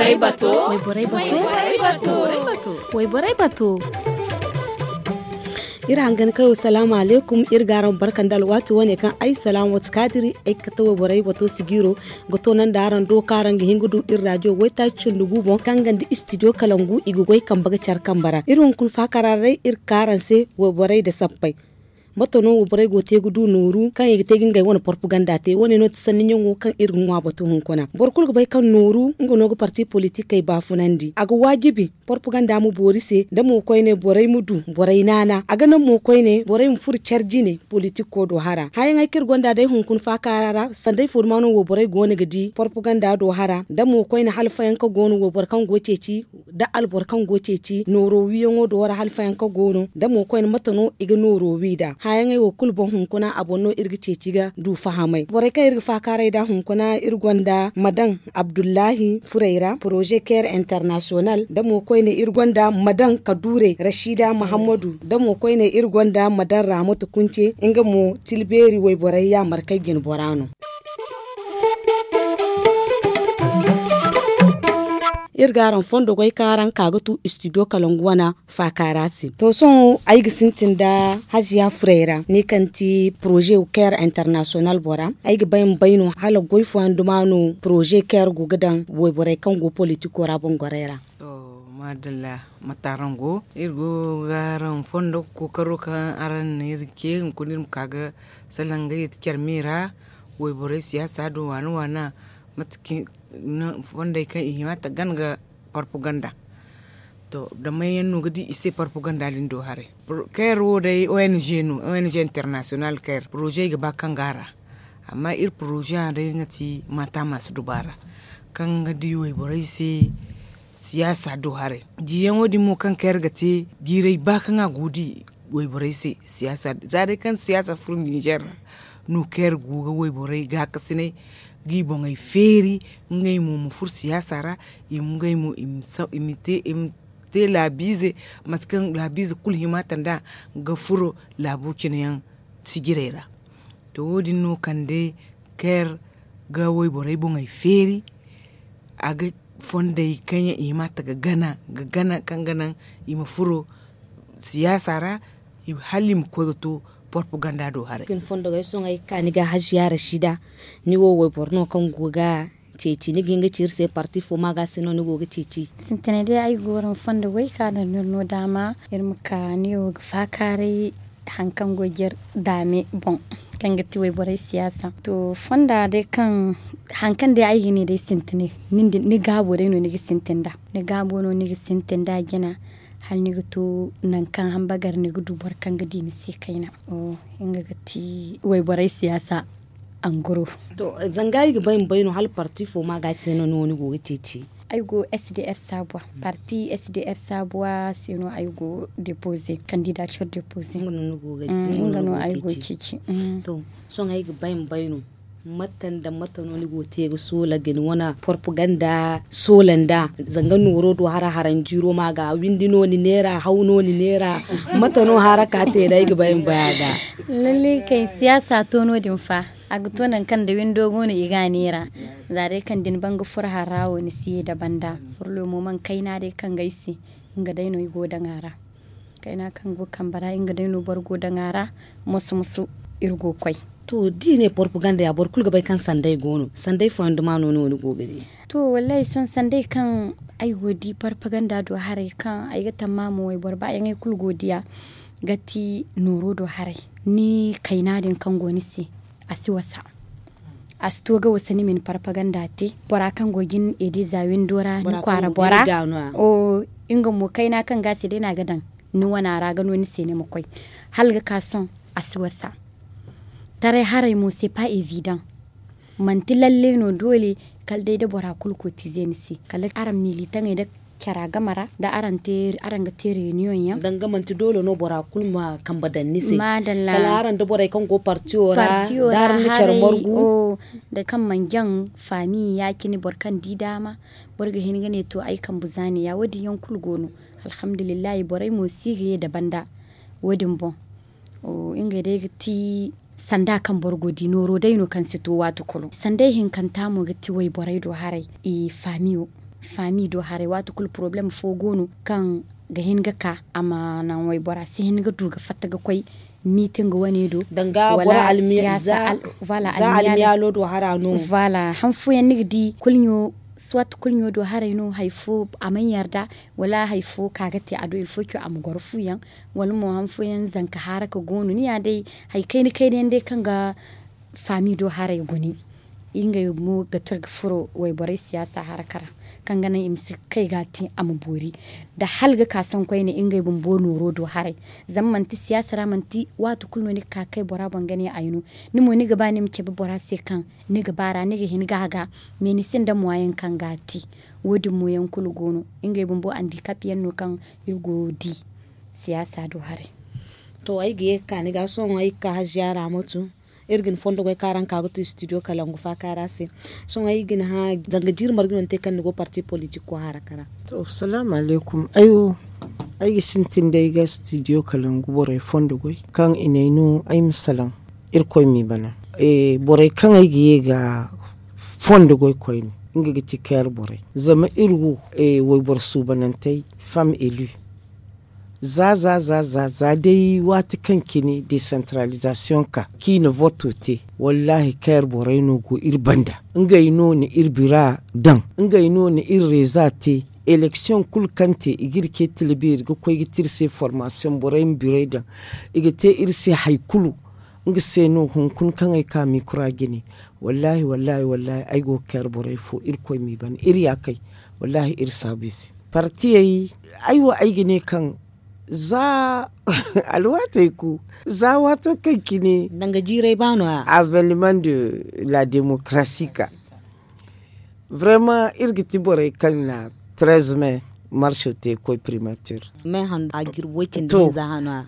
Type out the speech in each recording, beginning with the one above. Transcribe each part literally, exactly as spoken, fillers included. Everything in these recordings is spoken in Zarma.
Wayborey bato. Wayborey bato. Iri hangan kayo salaamu alaykum. Iri ga araŋ barka nda alwaati wane kaŋ ay salaama wati kaadiri ay ga kate wayborey bato sigiiro ga toonandi araŋ do kaŋ araŋ ga hin ga du iri raajiyo waytaaci cindi gu boŋ kaŋ ga nda istidiyo kalangu i ga goy kambe ga care kambe ra iri hunkuna faakaara ra day iri ga ka araŋ se wayborey nda sappey. Mate no wayborey go ga te ga du nooru kaŋ i ga te ga ngey wane porpaganda te wane no ti sanni ɲaŋo kaŋ iri ga ŋwa bato hunkuna boro kulu ga bay kaŋ nooru nga no ga parti politikey baafunandi a ga waajibi porpaganda ma boori se da mo koyne borey ma du borey naana a ga naŋ mo koyne borey ma furo care jine politiko do hara hããyaŋey kaŋ iri gonda day hunkuna faakaara ra sanday fo duma no wayborey go no ga di porpaganda do hara da mo koyne halfayaŋ kaŋ go no wayboro kaŋ go ga ceeci da alboro kaŋ go ga ceeci nooro wiiyaŋo do ra halfayanka go no da mo koyne mate no i ga nooro wi nd'a hããyaŋey wo kulu boŋ hunkuna a boŋ no iri ga ceeci ga du fahamay borey kaŋ iri ga faakaaray nd'a hunkuna iri gonda ma daŋ abdullahi furey ra poroze care international da mo koyne iri gonda ma daŋ kaduure rashida mahammadu da mo koyne iri gonda ma daŋ raamatu kunce nga mo tilbeeri wayborey yaamarkey jinbora no. Iri ga araŋ fondo goy kaŋ araŋ ka ga tu istidiyo kalangu wana faakaara se to sohõ ay ga sintin nda haziya furey ra ne kaŋ ti poroze care international bora ay ga bay ma bay no hala goy fooyaŋ duma no poroze care go ga daŋ wayborey kaŋ go politiko ra boŋ gorey ra. To maadalla mate araŋ go iri go ga araŋ fondo ga kookaro kaŋ araŋ na iri ce hunkuna iri ma ka ga salaŋ ngey ti care me ra wayborey siyaasa do waana waana mate kaŋ fondey kaŋ i hima ta gana ga parpaganda. To da may yaŋ no ga di i se parpaganda din do haray? Care wo day ong no ong international care poroze ga ba kaŋ ga a ra amma iri poroze a day nga ti maata masu dubaara kaŋ ga di wayborey se siyaasa do haray. Diyaŋo din mo kaŋ care ga te jiiray ba kaŋ a go ga di wayborey se siyaasa za day kaŋ siyaasa furo ninzeer ra no care go ga wayborey gaakasinay ga i boŋey feeri ngey mo ma furo siyaasa ra i ma ngey mo i ma te laabiize mate kaŋ laabiize kulu hima ta nd'a ga furo laabo cine yaŋ sijirey ra. To wo- din no kande care ga wayborey boŋey feeri a ga fondey kaŋ yaŋ i hima ta ga gana ga gana kaŋ ga naŋ i ma furo siyaasa ra hala i ma koy ga to porpaganda do haray. Ga ni fondo ga ay sohõ ay ga ka ni ga haziya rashida ni wo wayboro no kaŋ go ga ceeci ni ga hin ga ci iri se parti fo ma ga se no ni go ga ceeci. Sintinay day ay ga waraŋ fondo goy ka daŋ no iri no daama iri ma ka ni wo ga faakaaray hari kaŋ go ga iri daame boŋ kaŋ ga ti wayborey siyaasa to fonda day kaŋ hari kaŋ day ay ga ne day sintinay ni gaabo day no ni ga sintin nd'a ni gaabo no ni ga sintin nd'a jina hala ni ga to nangu kaŋ hambagar ni ga du boro kaŋ ga di ni se kayna. Nga ga ti wayborey siyaasa anguro. To zanga ay ga bay ma bay no hala parti fo ma ga se no ni go ga ceeci? Ay go sdr sabuwa parti sdr sabuwa se no ay go depoze candidature depoze. Nga no ay go ceeci. To sohõ ay ga bay ma bay no mate nda mate no ni go ga te ga soola ga ni wane porpaganda soola nda zanga nooro do hara haranjiiro ma ga windi no ni neera haw no ni neera mate no haraka te day ga bay ma bay a ga? Lalle kay siyaasa to no- din fa a ga to nangu kaŋ da windo go no i ga a neera. Za day kaŋ da ni ban ga furo hara wo ni si ye da banda furlo mo mana kayna day kaŋ ga ay se nga day no ay go daŋ a ra. Kayna kaŋ go kambe ra nga day no boro go daŋ a ra. Moso moso iri go ga koy. To da i ne porpaganda ya boro kulu ga bay kaŋ sanday go no sanday fooyaŋ duma no ni go ga di? To wallahi sohõ sanday kaŋ ay go ga di porpaganda do haray kaŋ ay ga tammaha mo wayboro baayaŋey kulu go ga diya ga ti nooro do haray. Ni kayna din kaŋ go ni se a si wasa. A si to ga wasa ni ma ni parpaganda te bora kaŋ go ga ni ede za windo ra ni kwaara bora. Nga mo kayna kaŋ ga a se day no a ga daŋ ni wana ra ga no ni se ni ma koy hala ga ka sohõ a si wasa. Taray haray mo se pa evidan manti lalle no doole kala day da bora kulu kotize ni se kala araŋ militaŋey da cara game ra da araŋ ga te reniyoŋ yaŋ. Danga manti doole no bora kulu ma kambe daŋ ni se kala araŋ da borey kaŋ go partiyo ra da araŋ na care margu. Da kaŋ mana jaŋ faami ya- cine boro kaŋ di daama boro ga hin ga ne to ay kambe za ne ya wo- din yaŋ kulu go no. Alhamdulillahi borey mo si ga ye da banda wo- din boŋ. Ngey day ga ti sanda kaŋ boro go ga di nooro day no kaŋ si to waati kulu sanday hinkanta mo ga ti wayborey do haray i faamiyo. Faami do haray waati kulu porobalem fo go no kaŋ ga hin ga ka a ma naŋ waybora si hin ga du ga fatta ga koy miiti nga wane do. Danga boro almi za almiyaalo do hara no. Hanfooyaŋ ni ga di kulɲo soit kulɲo do haray no hari fo a mana yarda wala hari fo ka ga te a do ilfo co a ma goro fuyaŋ wala mo hanfooyaŋ zanka haara ka go no ni ya day hari kayna kayna yaŋ day kaŋ ga faami do haray gune. Ngey mo ga tira ga furo wayborey siyaasa haraka ra kaŋ ga naŋ i ma si kay ga a te a ma boori nda hala ga ka sohõ koyne ngey bumbo nooro do haray. Zama manti siyaasa ra manti waati kulu no ni ga ka kay bora boŋ ga ne ay no. Ni mo ni ga ba ni ma cabe bora se kaŋ ni ga ba ra ni ga hin ga a ga. Mais ni sinda moyen kaŋ ga a te. Wo- din mo yaŋ kulu go no. Ngey bumbo andikap yaŋ no kaŋ iri go ga di siyaasa do haray. To ay ga ye ga ka ni ga sohõ ay ga ka haziya ra matu. Iri ga ni fondo goy kaŋ araŋ ka ga tu studio kalangu faaka ra se. Sohõ ay ga ni hã zanga jiiri marga no ni te kaŋ ni go parti politik ko haraka ra? To salaamu alaykum. Ay wo ay ga sintin day ga studio kalangu borey fondo goy kaŋ i ne ay no ay ma salaŋ. Irkoy m'i bana. Borey kaŋ ay ga ye ga fondo goy koyne nga ga ti kayar borey. Zama iri wo wayboro suubanantey femme élue za za za za za day waati kaŋ cine desantaralizasiyoŋ ka kaŋ i na voto te. Wallaahi kayar borey no go iri banda. Ngey no na iri bira daŋ. Ngey no na iri reeza te. Eleksiyoŋ kulu kaŋ te i ga iri ce tilbi iri ga koy ga te iri se formasiyoŋ borey ma birey daŋ. I ga te iri se hari kulu. Nga se no hunkuna kaŋ ay ka mikura jine. Wallaahi wallaahi wallaahi ay go ga kayar borey fo irkoy m'i bana iri ya kay. Wallaahi iri saabu i se partiyey. Ay wo ay ga ne kaŋ za alwaatey ku za waato kaŋ cine danga jiiray ba no ya aveniment de la démocratie ka. Vraiment iri ga ti borey kaŋ na treize mai marso te ga koy primature.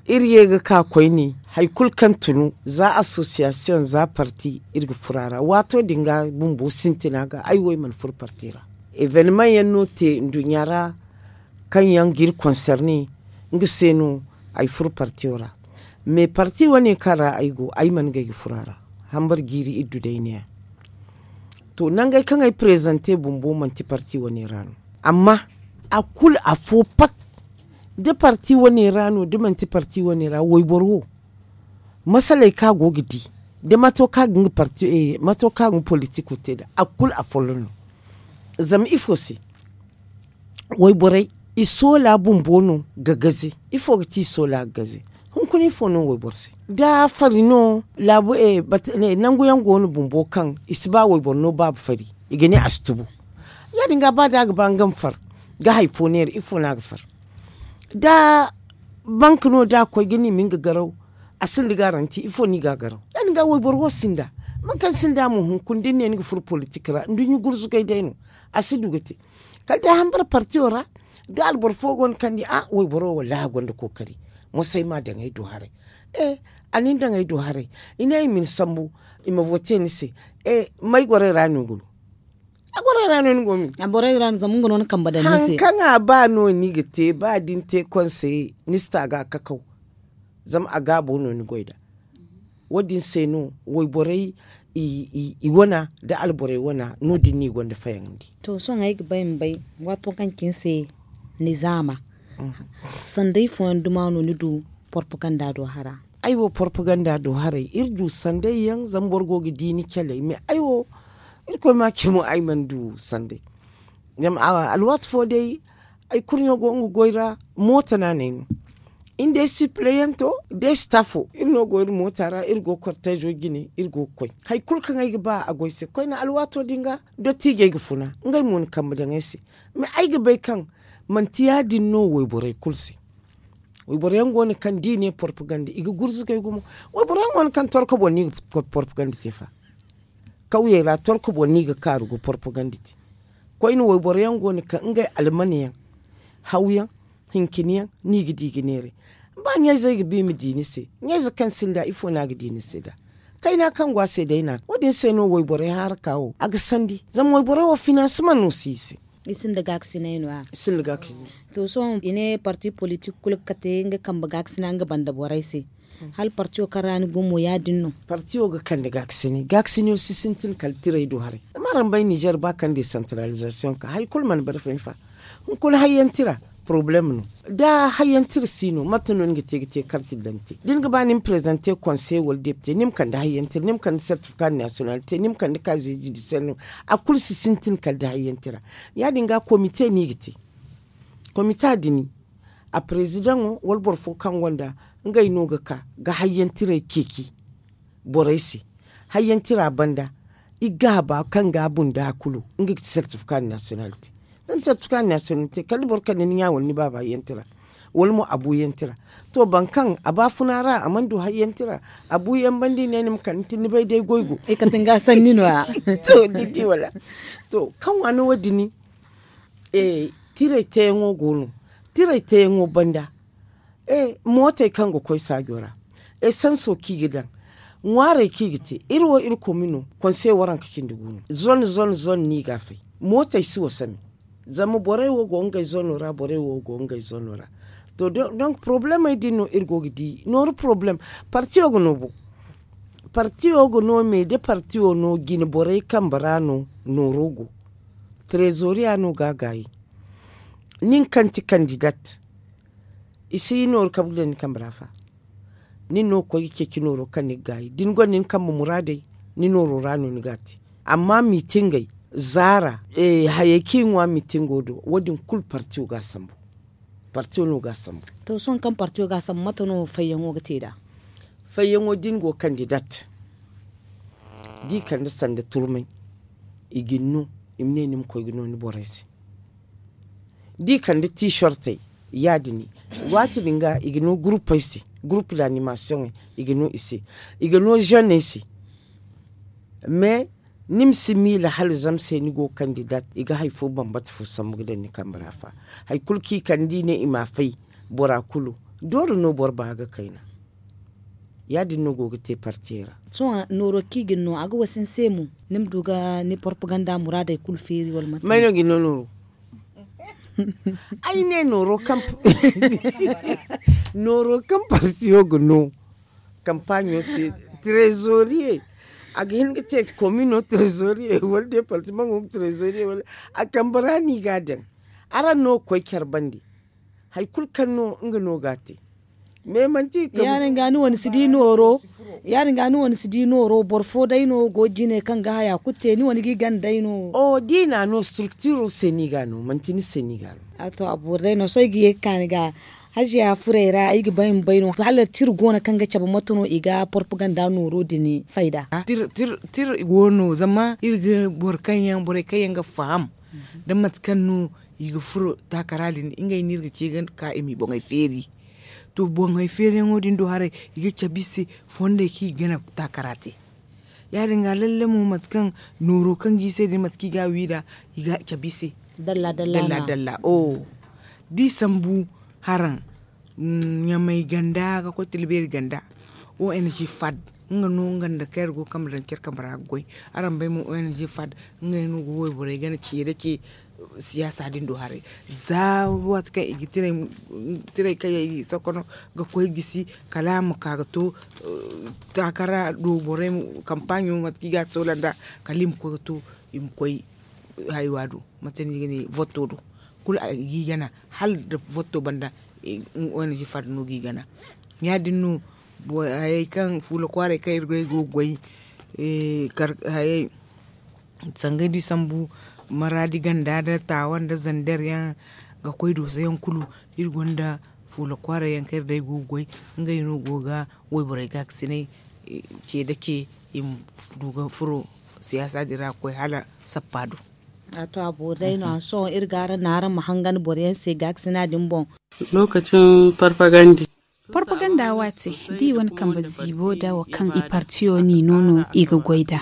Iri ye ga ka koyne hari kulu kaŋ tunu za association za parti iri ga furo a ra waato din ga bumbo sintina ga ay wo ay mana furo parti ra. Evenement yaŋ no te nduɲɲa ra kaŋ yaŋ ga iri concerne. Nga se no ay furo partiyo ra. Mais parti wane kaŋ ra ay go ay mana gay ga furo a ra. Hambar jiiri iddu day ne- ya to nangey kaŋ ay prezante bumbo manti parti wane ra no. Amma a kulu afo pat da parti wane ra no da manti parti wane ra wayboro wo masaley kaŋ a go ga di da mato kaŋ a ga nga politiko te nd'a a kulu afolloŋ no. Zama ifo se wayborey i soola bumbo no ga gaze. Ifo ga ti i soola ga gaze? Hunkuna ifo no wayboro se da fari no laabu nangu yaŋ go no bumbo kaŋ i si ba wayboro no baaba fari i ga ne a si tubu. Ya- din ga ba da a ga ba nga ma far ga hari fo neera ifo no a ga far? Da bank no da a koy ga ni ma nga garaw a sinda garanti ifo no i ga a garaw? Ya- din ga wayboro wo sinda. Mate kaŋ sinda mo hunkuna da ni ne ni ga furo politik ra nduɲɲa gurzugay day no. A si du ga te kala day hambara partiyo ra. Da alboro fo go no kaŋ di a wayboro wo wallaahi a gonda kookari. Moso ay m'a daŋ ay do haray. A na ni daŋ ay do haray. I ne i ma ni sambu i ma vote ni se. May gorey ra no ni go no? A borey ra no ni go min? A borey ra no zama nga no ni kamba daŋ ni se. Hari kaŋ a ba no ni ga te ba da ni te konse ni si ta ga a kakaw. Zama a gaabo no ni goy nd'a. Wo- din se no wayborey i wana nda alborey wana no- din no i gonda fayandi. To sohõ ay ga bay ma bay waato kaŋ cine se nizaama sanday fooyaŋ duma no ni du? Porpaganda do hara. Ay wo porpaganda do haray iri du sanday yaŋ zama boro go ga di ni caley mais ay wo irkoy ma ce mo ay mana du sanday. Zama alwaati fo day ay kurɲo go nga goy ra moota no a n'ay no. Iri day sipleyanto day staffo iri no go iri moota ra iri go kortezo jine iri go ga koy hari kulu kaŋ ay ga ba a goy se koyne alwaato din ga. Dottiijey ga funa ngey mo na kambe daŋ ay se. Mais ay ga bay kaŋ manti ya- din no wayborey kulu se. Wayboro yaŋ go no kaŋ da i ne porpaganda i ga gurzugay gumo. Wayboro yaŋ go no kaŋ torko boŋ no i ga porpaganda te fa. Kawyey ra torko boŋ no i ga kaaru ga porpaganda te. Koyne wayboro yaŋ go no kaŋ ngey almane yaŋ hawyaŋ hincine yaŋ no i ga di ga neeray. Ba ɲayzey ga ba i ma di ni se ɲayze kaŋ sinda ifo no a ga di ni se nd'a? Kayna kaŋ go a se day no a ga wo- din se no wayborey haraka wo a ga sandi zama wayborey wo finansima no si i se. I sinda gaakasinay no- ya. To sohõ i ne parti politik kulu ga kate nga kambe gaakasina nga banda borey se. Hala partiyo kaŋ ra ni go mo ya- din no? Partiyo ga kande gaakasini gaakasiniyo si sintin kala tirey do haray. Maraŋ bay nizer ba kaŋ desantaralizasiyoŋ ka hari kulu mana bare fahim fa. Hunkuna hayyanti ra porobalem no. Da hayyanti ra si no mate no ni ga te ga te karti daŋ te da ni ga ba ni ma parezante konseye wala depite ni ma kande hayyanti ra ni ma kande sertifika nasiyonalite ni ma kande kaaze judisiyel no. A kulu si sintin kala da hayyanti ra. Ya- din ga komite no i ga te. Komita din a parezidaŋo wala boro fo kaŋ gonda ngey no ga ka ga hayyantirey ceeci borey se. Hayyantira banda i gaaba kaŋ ga a bunda kulu nga ga ti sertifika nasiyonalite. Zama sertifika nasiyonalite kala da boro kande ni ɲa wala ni baaba hayyantira wala mo a bu yantira. To boro kaŋ a baafuna ra a mana du hayyantira a bu yaŋ banda i ne ni ma kande ni bay day goy go. To ni di wala? To kaŋ waano wo- din tiray teyaŋo go no. Tiray teyaŋo banda mootey kaŋ ga koy saajo ra. Esanso kaŋ i ga daŋ ŋwaarey kaŋ i ga te iri wo iri komino konsey waranka cindi gu no zone zone zone no i ga a fay. Mootey si wasa me. Zama borey wo go ngey zono ra borey wo go ngey zono ra. To donk porobalemey din no iri go ga di nooru porobalem. Partiyo ga no bo. Partiyo ga no me da partiyo no jine borey kambe ra no nooro go. Trezoriya no ga a gaayi. Nin kaŋ ti kandidat i si nooru kabu ga daŋ ni kambe ra fa. Nin no ga koy ga ceeci nooro kaŋ ni ga gaayi da ni gonda ni kambe muraadey ni nooro ra no ni ga a te. Amma miitingey zaara hayey kaŋ i ŋwa miitingo do wo- din kulu partiyo ga a sambu. Partiyo no ga a sambu. To sohõ kaŋ partiyo ga a sambu mate no fayyaŋo ga te nd'a? Fayyaŋo da ni go kandidat da i kande sanda turmay i ga ni no i ma ne ni ma koy ga no ni borey se. Da i kande tiisortey ya- din waati din ga i ga no guruppey se gurupp da animasiyoŋey i ga no i se. I ga no zeney se. Mais ni ma si miila hala zama se ni go kandidat i ga hari fo bambata fo sambu ga daŋ ni kambe ra fa. Hari kulu kaŋ i kande i ne i ma a fay bora kulu doole no boro ba ga kayna. Ya- din no go ga te partiyey ra. Sohõ nooro kaŋ i ga ni no a ga wasa ni se mo? Ni ma du ga ni porpaganda muraadey kulu feeri wala mate? May no ga ni no nooro? Ay ne nooro kaŋ nooro kaŋ partiyo ga no kampaaɲo se, trezoriye a ga hin ga te komino trezoriye wala departamaŋo trezoriye wala a kambe ra no i ga a daŋ. Araŋ no ga koy care bande. Hari kulu kaŋ no nga no ga a te. Mais manti ya- din ga ni wane si di nooro. Ya- din ga ni wane si di nooro boro fo day no go jine kaŋ ga haya kulu te ni wane ga i gana day no? O da i na a no struktiro se no i ga a no manti ni se no i ga a no. A to a boori day no sohõ ay ga ye ga ka ni ga haziya furey ra ay ga bay ma bay no hala tira go no kaŋ ga cabe mate no i ga porpaganda nooro din fayda? Tira go no zama iri ga boro kaŋ yaŋ borey kaŋ yaŋ ga faham da mate kaŋ no i ga furo taakara din ngey no iri ga ce ga ka i m'i boŋey feeri. To boŋey feeriyaŋo din do haray i ga cabe i se fondey kaŋ i ga gana taakara te. Ya- din ga lalle mo mate kaŋ nooro kaŋ ga i se din mate kaŋ i ga a wi nd'a i ga cabe i se dalla dalla. Dalla dalla o da i sambu haraŋ ɲamay ganda ga koy tila beeri ganda. O n g fad nga no nga nda kaŋ iri go kambe daŋ care kambe ra ga goy. Araŋ bay mo o n g fad ngey no ga wayborey gana ce nda ce siyaasa din do haray. Za waati kaŋ i ga tiray kaŋ yaŋ i ga sokono ga koy gisi kala a ma ka ga to taakara do borey kampaaɲo mate kaŋ i ga a soola nd'a kala i ma koy ga to i ma koy haywa do mate no i ga ne votto do kulu a ga i gana hala nda votto banda. O n g fad no ga i gana ya- din no hayey kaŋ fuula kwaaray kaŋ iri go ga goy hayey sangay da i sambu maraadi ganda nda taawa nda zander yaŋ ga koy dooso yaŋ kulu. Iri gonda fuula kwaaray yaŋ kaŋ iri day go ga goy ngey no go ga wayborey gaakasinay ce nda ce i ma du ga furo siyaasa din ra ga koy hala sappa do. A to a boori day no a sohõ iri ga araŋ no araŋ ma hangan boro yaŋ se gaakasina din boŋ. Lokacin farfagandi. Farfaganda waate da i wane kambe ziibo nda wo kaŋ i partiyo n'i no no i ga goy nd'a.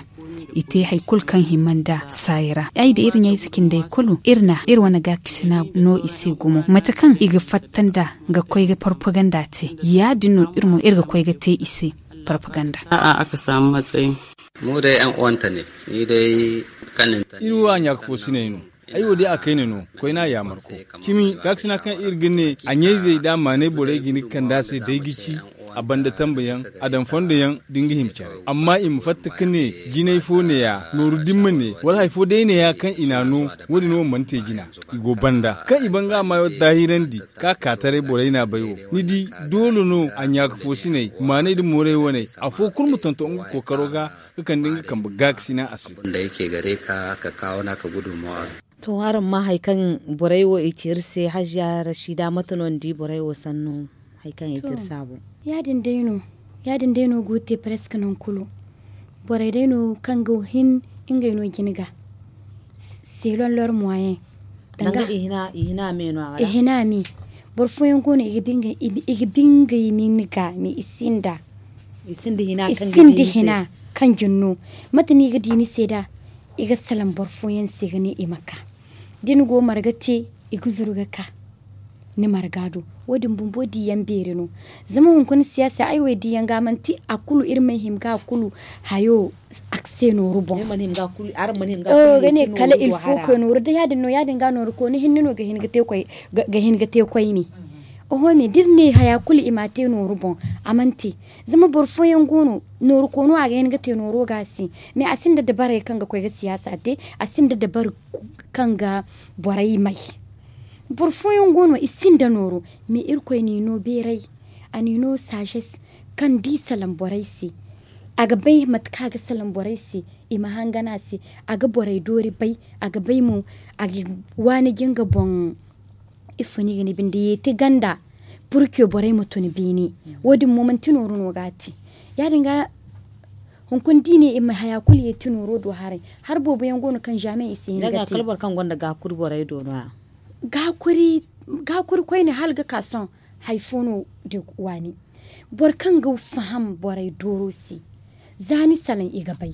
I te hari kulu kaŋ hima nda saayi ra ay nda iri ɲayze cindey kulu iri na iri wane gaakasina no i se gumo mate kaŋ i ga fatta nd'a ga koy ga farfaganda te ya- din no iri mo iri ga koy ga te i se. Farfaganda. A'a a ga saamu matsayi. Mu day yaŋ uwante ne ni day. Kaninta iri wo a ɲaaka fo siney no. Ay wo day a kayna no koyne a yaamarko cimi gaakasina kaŋ iri ga ne a ɲayzey nda a maanay borey ga hin ga kande a se day ga ci. A banda tambe yaŋ, a daŋ fondo yaŋ da nga hima care. Amma i ma fatta ga ne jinay fo ne ya nooru dimma ne wala hari fo day ne ya kaŋ i n'a no. Wo- din wo mana te jina. I go banda kaŋ i ban ga a maayo daahirandi, ka ka taray borey n'a bay wo. Ni di, doole no a ɲaaka foosiney maaney nda moorey waney, afo kulu ma tonton nga kookaro ga, ga kande nga kambe gaakasina a se. To, araŋ ma hari kaŋ borey wo i ci iri se hajiya rasiida mate no ni di borey wo sannu? Hari kaŋ i ci iri se a boŋ. Ya- din day no go ga te preske nangu kulu. Borey day no kaŋ ga hin ngey no jina ga. Selon lor moyen. Danga i hina me no a wala? I hina me. Boro fooyaŋ go no i ga bi ngey nin ga me i sinda. I sinda hina kaŋ ga di ni se. Kaŋ ga ni no. Mate no i ga di ni se da? I ga salaŋ boro fooyaŋ se ga ne i ma ka. Da ni go marga te, i ga zuru ga ka ni marga do. Wo- din bumbo diyaŋ beeri no. Zama hunkuna siyaasa ay wo ay diyaŋ ga manti a kulu iri mana hima ga a kulu hayo. Akse nooru boŋ. Ga ne kala ilfo koy nooru da ya- din no ya- din ga nooru kooni hinne no ga hin ga te koyne. Oho me da iri ne haya kulu i m'a te nooru boŋ. A mana te. Zama boro fooyaŋ go no nooru koono a ga hin ga te nooro ga a se. Mais a sinda dabarey kaŋ ga koy ga siyaasa te. A sinda dabari kaŋ ga borey may. Boro fooyaŋ go no i sinda nooro. Mais irkoy n'i no beeray. A n'i no saazes kaŋ da i salaŋ borey se. A ga bay mate kaŋ a ga salaŋ borey se. I ma hangan a se. A ga borey doori bay. A ga bay mo a ga waani ga nga boŋ. Ifo no i ga ne binde yeeti ganda. Purke borey ma tun beene. Wo- din mo manti nooru no ga a te. Ya- din ga hunkuna da i ne i ma haya kulu yeeti nooro do haray. Hari boobo yaŋ go no kaŋ zaamen i si hin ga te. Kala boro kaŋ gonda gaakuri borey do no- ya. Gaakuri koyne hala ga ka sohõ. Hari fo no da waani. Boro kaŋ ga faham borey dooro se. Za ni salaŋ i ga bay.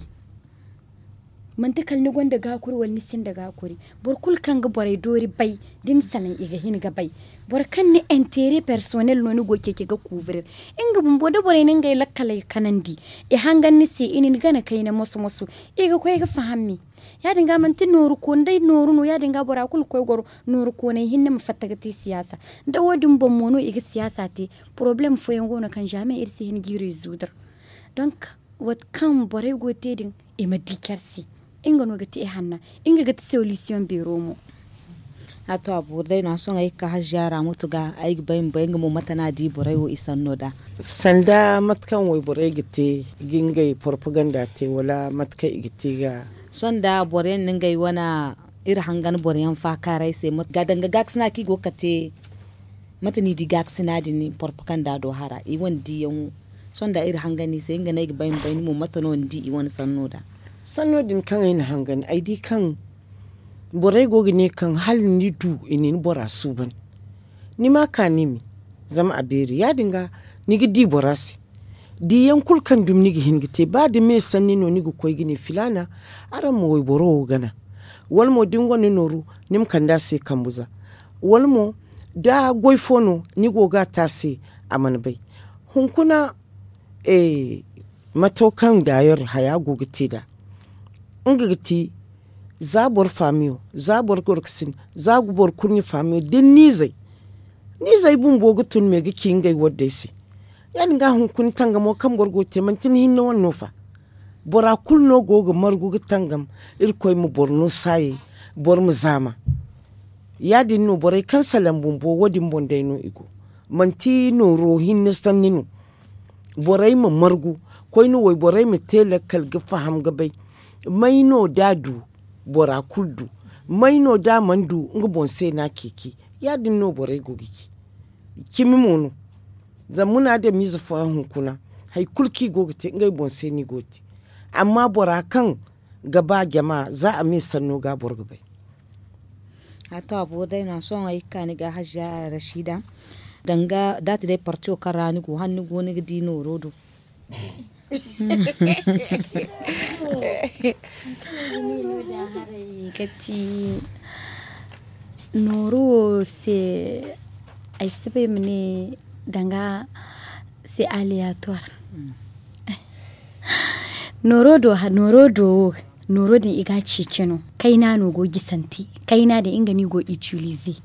Manti kala ni gonda gaakuri wala ni sinda gaakuri. Boro kulu kaŋ ga borey doori bay. Da ni salaŋ i ga hin ga bay. Boro kaŋ ni entere personnel no ni go ceeci ga kuubirir. Nga bumbo da borey na ngey lakkaley kanandi. I hangan ni se i na ni gana kayna moso moso. I ga koy ga faham me. Ya- din ga manti nooru kooni day nooru no ya- din ga bora kulu ga koy goro. Nooru kooney hinne ma fatta ga te siyaasa. Da wo- din boŋ mo no i ga siyaasa te. Porobalem fooyaŋ go no kaŋ zaamen iri si hin g'i rezuudar. Donk mate kaŋ borey go ga te din i ma di care se. Nga no ga te i hanna. Nga ga ti solisiyoŋ beero mo. A to a boori day no a sohõ ay ga ka haziya ra mutu ga ay ga bay ma bay nga mo mate no a di borey wo i sanno nd'a. Sanda mate kaŋ wayborey ga te ga ngey porpaganda te wala mate kaŋ i ga te ga. Sohõ nda boro yaŋ na ngey wane iri hangan boro yaŋ faakaaray se ga danga gaakasina kaŋ i go ga kate. Mate no i di gaakasina din porpaganda do hara i wane diyaŋo. Sohõ nda iri hangan i se nga no ay ga bay ma bay ni mo mate no ni di i wane sanno nd'a. Sanno din kaŋ ay na hangan ay di kaŋ borey go ga ne kaŋ hala ni du i na ni bora suuban. Ni ma ka ni me zama a beeri ya- din ga ni ga di bora se. Diyaŋ kulu kaŋ dumi ni ga hin ga te ba da me sanni no ni ga koy ga ne filaana. Araŋ ma wayboro wo gana wala mo da ni gonda nooru ni ma kande a se kambu za. Wala mo da goy fo no ni go ga a te a se a mana bay. Hunkuna mato kaŋ daayor haya go ga te nd'a. Nga ga ti za boro faamiyo za boro gorkasin za boro kurɲe faamiyo da ni n'izey. Ni izey bumbo ga tun me ga ci ngey waddey se. Ya- din ga hunkuna tangamo kaŋ boro go ga te manti ni hinne wane no fa. Bora kulu no go ga margu ga tangam. Irkoy ma boro no saayey boro ma zaama. Ya- din no borey kaŋ salaŋ bumbo wo- din boŋ day no i go. Manti nooro hinne sanni no. Borey ma margu koyne wayborey ma te lakkal ga faham ga bay. May no da a du bora kulu du. May no da a mana du nga boŋ se no a ceeci. Ya- din no borey go ga ci. Cimi mo no. Zama muna adamize fooyaŋ hunkuna hari kulu kaŋ i go ga te ngey boŋ se no i go ga te. Amma bora kaŋ ga ba jama za a me sanno ga boro ga bay. A to a boori day no a sohõ ay ga ka ni ga haziya rasiida. Danga da a ti day parti wo kaŋ ra ni go hala ni go ni ga di nooro do. Kati nooru wo se ay si bay ma ne danga se aliyatuwar. Nooro do wo nooro din i ga a ceeci no kayna no go gisante. Kayna din nga no i go itilize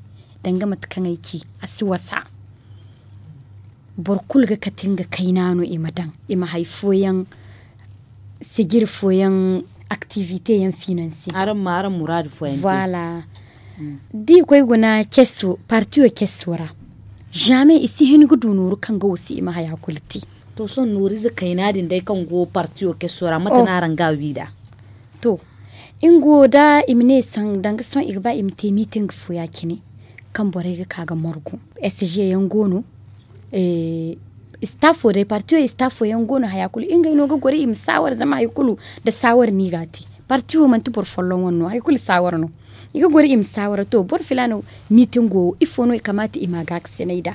danga mate kaŋ ay ci a si wasa. Boro kulu ga kate nga kayna no i ma daŋ, i ma hari fooyaŋ sijiri fooyaŋ, aktivite yaŋ finanse. Araŋ ma araŋ muraadu fooyaŋ te. Voilà. Da i koy guna keso, partiyo keso ra, zame i si hin ga du nooru kaŋ ga wasi i ma haya kulu te. To sohõ nooriize kayna din day kaŋ go partiyo keso ra mate no araŋ ga a wi nd'a? To, nga wo da i ma ne danga sohõ i ga ba i ma te miitin ga fo ya- cine, kaŋ borey ga ka ga margu. Sg yaŋ go no, istafo day partiyo istafo yaŋ go no haya kulu ngey no ga goro i ma saawara zama hari kulu, nda saawara no i ga a te. Parti wo manti boro folloŋ wane no hari kulu saawara no. I ga goro i ma saawara to boro filaana, miitingo wo ifo no i kamaata i ma a gaakasinay nd'a?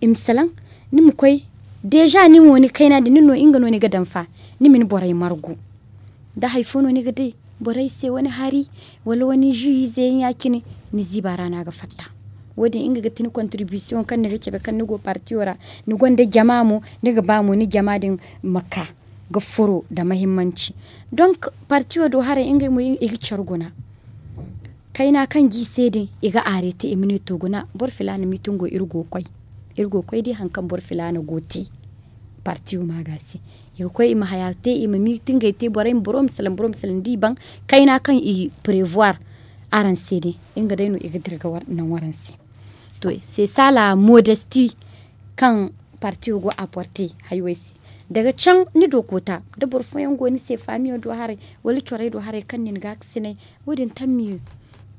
I ma salaŋ, ni ma koy, deeza nin wo ni kayna din nin no nga no ni ga daŋ fa, ni ma ni borey margu. Da hari fo no ni ga di borey se wane hari, wala wane zu ize yaŋ ya- cine, ni ziiba ra no a ga fatta. Wo- din nga ga ti ni kontiribisiyoŋ kaŋ ni ga cabe kaŋ ni go partiyo ra, ni gonda jama mo, ni ga ba mo ni jama din ma ka ga furo nda mahimmanci. Donk, partiyo do haray ngey mo i ga care guna. Kayna kaŋ g'i se din, i ga aarete i ma ne to guna boro filaana miitingo iri go ga koy. Iri go ga koy di hari kaŋ boro filaana go ga te. Partiyo ma ga se, i ga koy i ma haya te, i ma miitingey te borey ma boro ma salaŋ boro ma salaŋ da i baŋ. Kayna kaŋ i prevoir araŋ se din, nga day no i ga dira ga naŋ waraŋ se. To, se saala modesti kaŋ partiyo go aporte haywey se. Daga caŋ ni do koota, da boro fooyaŋ go ni se faamiyo do haray, wala corey do haray kaŋ nin gaakasinay, wo- din tammi.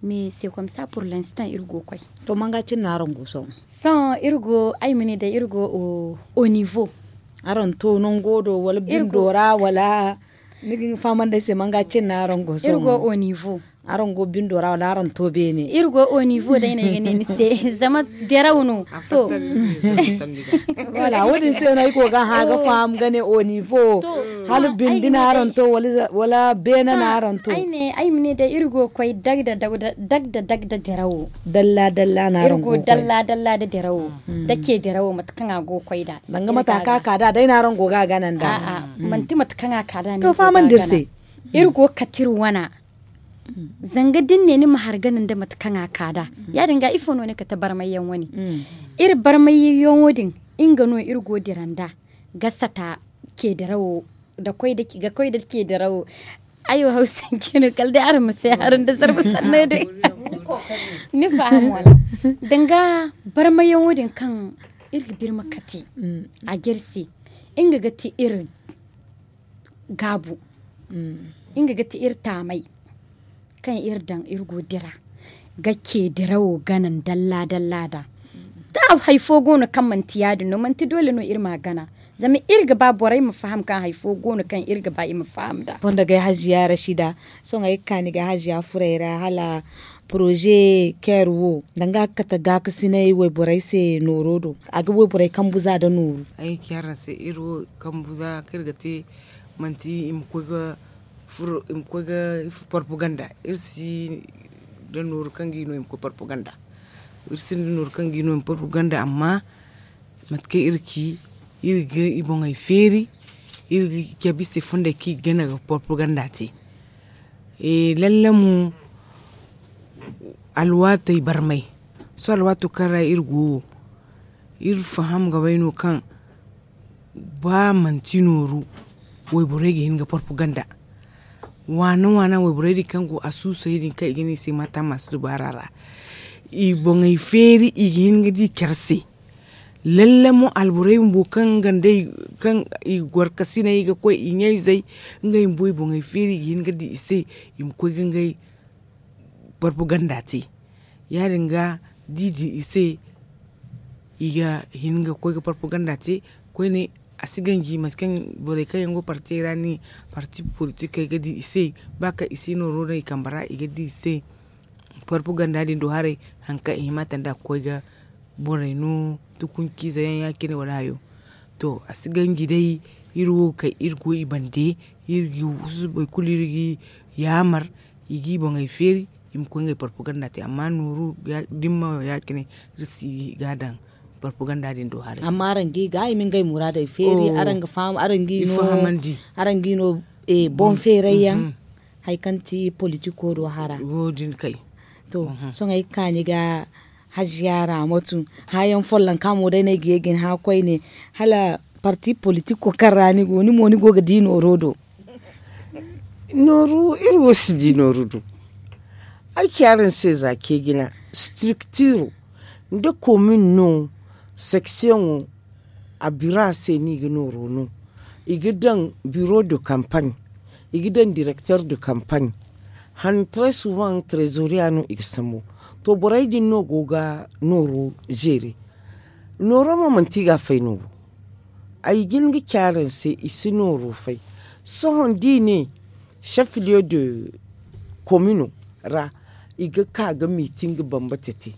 Me se komsa pur lenstaŋ iri go ga koy. To manga cine no araŋ go sohõ? Sohõ iri go ay ma ne day iri go, onivo. Araŋ to nango do wala bindo ra wala? Ni ga hin ga fahamandi ay se manga cine no araŋ go sohõ? Iri go onivo. Araŋ go bindo ra wala araŋ to beene? Iri go onivo day no ay ga ne ni se. Zama diraw no. To. Wala wo- din se no ay go ga hã ga faham ga ne onivo. Hala bindi no araŋ to, wala beene no araŋ to? Ay ma ne day iri go ga koy dagda dagda dirawo. Dalla dalla no araŋ go ga koy. Dalla dalla nda dirawo, nda ce dirawo mate kaŋ a go ga koy nd'a. Danga mate kaŋ a ka nd'a day no araŋ go ga a gana nd'a. Manti mate kaŋ a ka nd'a no. To fahamandi iri se. Iri go ga kate iri wana. Zanga da ni ne ni ma hari gana nda mate kaŋ a ka nd'a, ya- din ga ifo no ni kate barmayyaŋ wane? Iri barmayyaŋo din, nga no iri go ga dira nd'a, ga sata, ceedirawo, ga koy nda ceedirawo. Ay wo hawsanci no kala day araŋ ma si ay hari nda zarma sanno din. Ni faham wala? Danga barmayyaŋo din kaŋ iri ga birma kate, a ga iri se, nga ga ti iri gaabu. Nga ga ti iri taamay kaŋ iri daŋ iri go ga dira, ga ce dirawo gana ndalla dalla nd'a. Da hari fo go no kaŋ manti ya- din no manti doole no iri ma a gana. Zama iri ga ba borey ma faham kaŋ hari fo go no kaŋ iri ga ba i ma faham nd'a. Fonda gay haziya rasida. Sohõ ay ga ka ni ga haziya furey ra hala poroze keer wo danga a ga kate gaakasinay wayborey se nooro do, a ga wayborey kambu za nda nooru. Ay ga ci araŋ se iri wo kambu za kaŋ iri ga te, manti i ma koy ga furo i ma koy ga porpoganda. Iri si nda nooru kaŋ ga i no i ma koy porpoganda. Iri sinda nooru kaŋ ga i no i ma porpoganda amma mate kaŋ iri ci, iri ga i boŋey feeri, iri ga cabe i se fonday kaŋ i ga gana ga porpoganda te. Lalle mo, alwaatey barmay, sohõ alwaato kaŋ ra iri go wo, iri faham ga bay no kaŋ ba manti nooru, wayborey ga hin ga porpoganda. Waana waana wayborey din kaŋ go a suusay din kaŋ i ga ne i se mata masu dubaara ra, i boŋey feeri i ga hin ga di care se. Lalle mo alborey bumbo kaŋ nga nd'ey kaŋ i gorkasiney ga koy i ɲayzey, ngey bumbo i boŋey feeri i ga hin ga di i se, i ma koy ga ngey porpoganda te. Ya- din ga da i di i se, i ga hin ga koy ga porpoganda te. Koyne, a si ganji mate kaŋ borey kaŋ yaŋ go partey ra ni parti politikey ga di i se, ba kaŋ i si nooro daŋ i kambe ra i ga di i se. Porpoganda din do haray, hari kaŋ i hima tanda ga koy ga borey no, tukunci ize yaŋ ya- cine wala hayo. To, a si ganji day, iri wo ga kay iri go i bande, iri ga i husu boro kulu iri ga i yaamar, i ga i boŋey feeri, i ma koy ngey porpoganda te amma nooru, da ni ma ya- cine, iri si ga a daŋ porpoganda din do haray. Amma araŋ ga i ga i ma ngey muraadey feeri araŋ ga faham araŋ ga i no, araŋ ga i no, boŋ feeray yaŋ, hari kaŋ ti politiko do hara. To, sohõ ay ga ka ni ga Hajiya raamatu, hããyaŋ follonka mo day no ay ga ye ga ni hã koyne, hala parti politiko kaŋ ra ni go ni mo ni go ga di nooro do? Nooru iri wo si di nooru do. Ay ci araŋ se za ceejina, structuro nda komin no, seksiyoŋo, a biro a se no i ga nooro no. I ga daŋ biro de kampaɲ, i ga daŋ direkter de kampaɲ. Han, trez suvaŋ trezoriya no i ga sambu. To borey din no go ga nooro zeere. Nooro mo manti i ga a fay no wo. Ay jin ga ci araŋ se i si nooro fay. Sohõ da i ne, sefiliyo de komino ra, i ga ka ga miiting bambata te.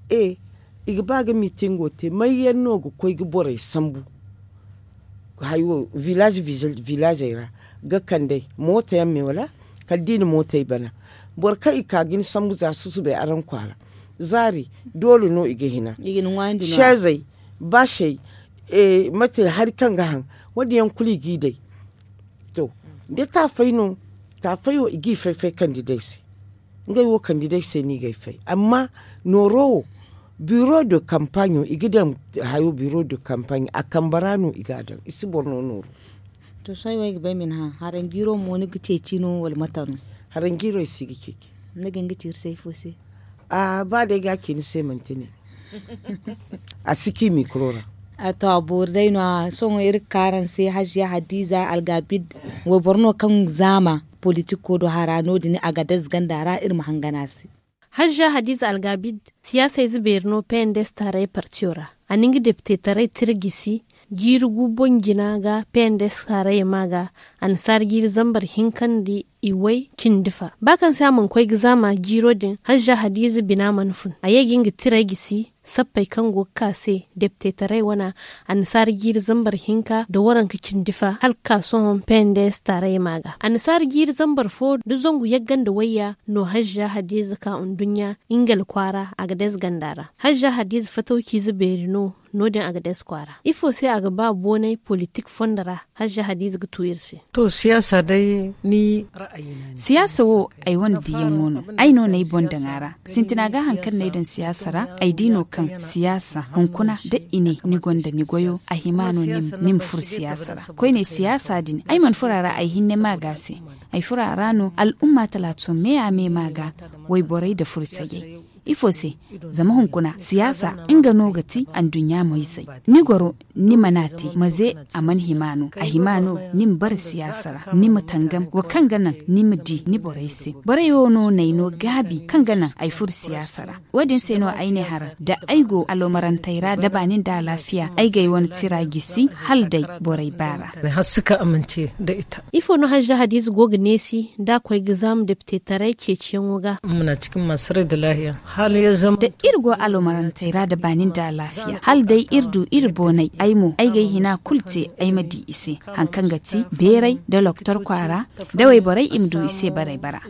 E, i ga ba ga miitingo te may yaŋ no ga koy ga borey sambu? Hayo, vilaaze vilaaze ra ga kand'ey mooto yaŋ me wala? Kala da i na mootey bana, boro kaŋ i ka ga ni sambu za susubay araŋ kwaara, zaari doole no i ga hina. Seezey, baasey, mate hari kaŋ ga haŋ, wo- din yaŋ kulu i g'i day. To, da taafay no, taafay wo i g'i fay fay kandidey se. Ngey wo kandidey se no i g'ey fay. Amma nooro wo, biro de kampaaɲo i ga daŋ, hayo biro de kampaaɲo a kambe ra no i g'a daŋ i si boro no nooru. To sohõ ay wo ay ga ba ay ma ni hã, haranjiiro mo ni ga ceeci no wala mate no? Haranjiiro ay si ga ceeci. Ni ga hin ga ci iri se ifo se? A ba day ga a ci ni se manti ne. A si ci mikro ra. To a boori day no- ya sohõ iri ga ka araŋ se hajiya hadiza algabid, wayboro no kaŋ zaama politiko do hara no- din agadez ganda ra iri ma hangan a se. Hajiya hadiza algabid, siyaasa ize beeri no pnds taaray partiyo ra. A na nga depitetaray tira gisi jiiri gu boŋ jina ga pnds taarayey ma ga. Annasaara jiiri zambar hinka nda iway cindi fa ba kaŋ se a mana koy ga zaama jiiro din hajiya hadiza bina mana fun a ye ga nga tiray gisi. Sappey kaŋ go ga ka se depitetaray wana annasaara jiiri zambar hinka nda waranka cindi fa hala ga ka sohõ pnds taarayey ma ga. Annasaara jiiri zambar fo nda zangu yagga nda wayya no hajiya hadiza ka nduɲɲa. Ingel kwaara agadez ganda ra hajiya hadiza fatawciize beeri no. No- din agadez kwaara ifo se a ga ba boonay politik fondo ra? Hajiya hadiza ga tu iri se. To siyaasa day ni ra'ayi no a ne. Siyaasa wo ay wane diyaŋo no. Ay no no ay boŋ daŋ a ra. Sintina ga hari kaŋ no ay daŋ siyaasa ra ay di no kaŋ siyaasa hunkuna da i ne ni gonda ni goyo a hima no ni ma furo siyaasa ra. Koyne siyaasa din ay mana furo a ra ay hinne ma ga a se. Ay furo a ra no al'umma talaato me a me ma ga wayborey nda furo sayey. Ifo se? Zama hunkuna siyaasa nga no ga ti anduɲɲa moyzey. Ni goro ni mana te maze a mana hima no a hima no ni ma bare siyaasa ra ni ma tangam wo kaŋ ga naŋ ni ma di ni borey se. Borey wo no n'ay no gaabi kaŋ ga naŋ ay furo siyaasa ra. Wo- din se no ay ne hara da ay go aloomarantey ra da baani nda alaafiya ay g'ay wane tira gisi hala day borey baara. Ifo no hajiya hadiza go ga neesi da a koy ga zaama depitetaray ceeciyaŋo ga? Da iri go aloomarantey ra da baani nda alaafiya hala day iri du iri boonay ay mo ay g'ay hina kulu te ay ma di i se. Hari kaŋ ga ti beeray nda loktor kwaara da wayborey i ma du i se barey bara.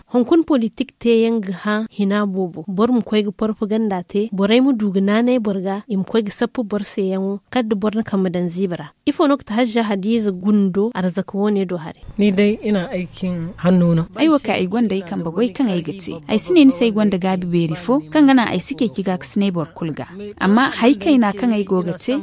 Hunkuna politik teeyaŋ ga hã hina boobo boro ma koy ga porpaganda te borey ma du ga naanay boro ga i ma koy ga sappa boro seeyaŋo kala da boro na kambe daŋ ziiba ra. Ifo no ga ti hajiya hadiza gundo arzaka wo- ne do haray? Ni day ina ay cin hanno no. Ay wo kaŋ ay gonda ay kambe goy kaŋ ay ga te ay si ne ni se ay gonda gaabi beeri fo kaŋ ga naŋ ay si ceeci gaakasinay boro kulu ga. Amma hari kayna kaŋ ay go ga te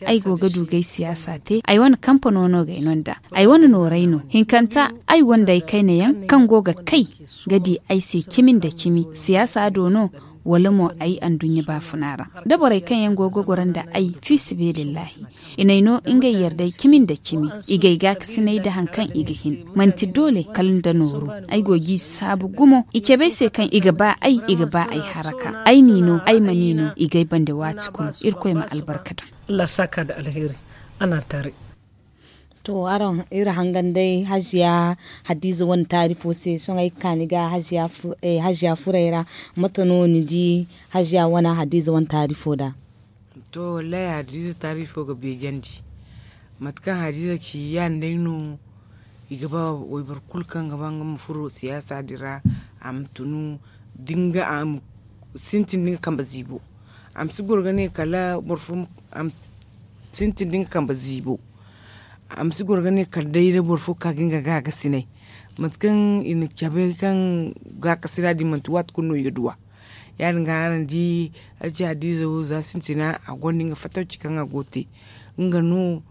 ay go ga du g'ay siyaasa te ay wane kampano no g'ay no nd'a. Ay wane nooray no hinkanta ay gonda ay kayna yaŋ kaŋ go ga kay ga di ay se cimi nda cimi siyaasa do no? Wala mo ay anduɲɲa baafuna ra da borey kaŋ yaŋ go ga goro nda ay fiisabilillahi i n'ay no ngey yarday cimi nda cimi i g'ay gaakasinay da hari kaŋ i ga hin. Manti doole kala nda nooru ay go g'i saabu gumo i cabe ay se kaŋ i ga ba ay i ga ba ay haraka ay n'i no ay ma n'i no i g'ay bande waati kulu. Irkoy ma albarka daŋ. To araŋ iri hangan day hajiya hadiza wane taarifo se sohõ ay ga ka ni ga hajiya furay ra. Mate no ni di hajiya wane hadiza wane taarifo nd'a? To wallahi hadiza taarifo ga beejandi mate kaŋ hadiza ci ya- din day no. I ga ba wayboro kulu kaŋ ga ba nga ma furo siyaasa din ra a ma tunu da nga a ma sintin da nga kambe ziibo. A ma si goro ga ne kala boro fo a ma sintin da nga kambe ziibo. A ma si goro ga ne kala day da boro fo ka ga nga gaakasinay mate kaŋ i na cabe kaŋ gaakasina din manti waati kulu no i ga duw'a. Ya- din ga araŋ di, alci hadiiza wo za sintina a gonda nga fatawci kaŋ a go ga te. Nga no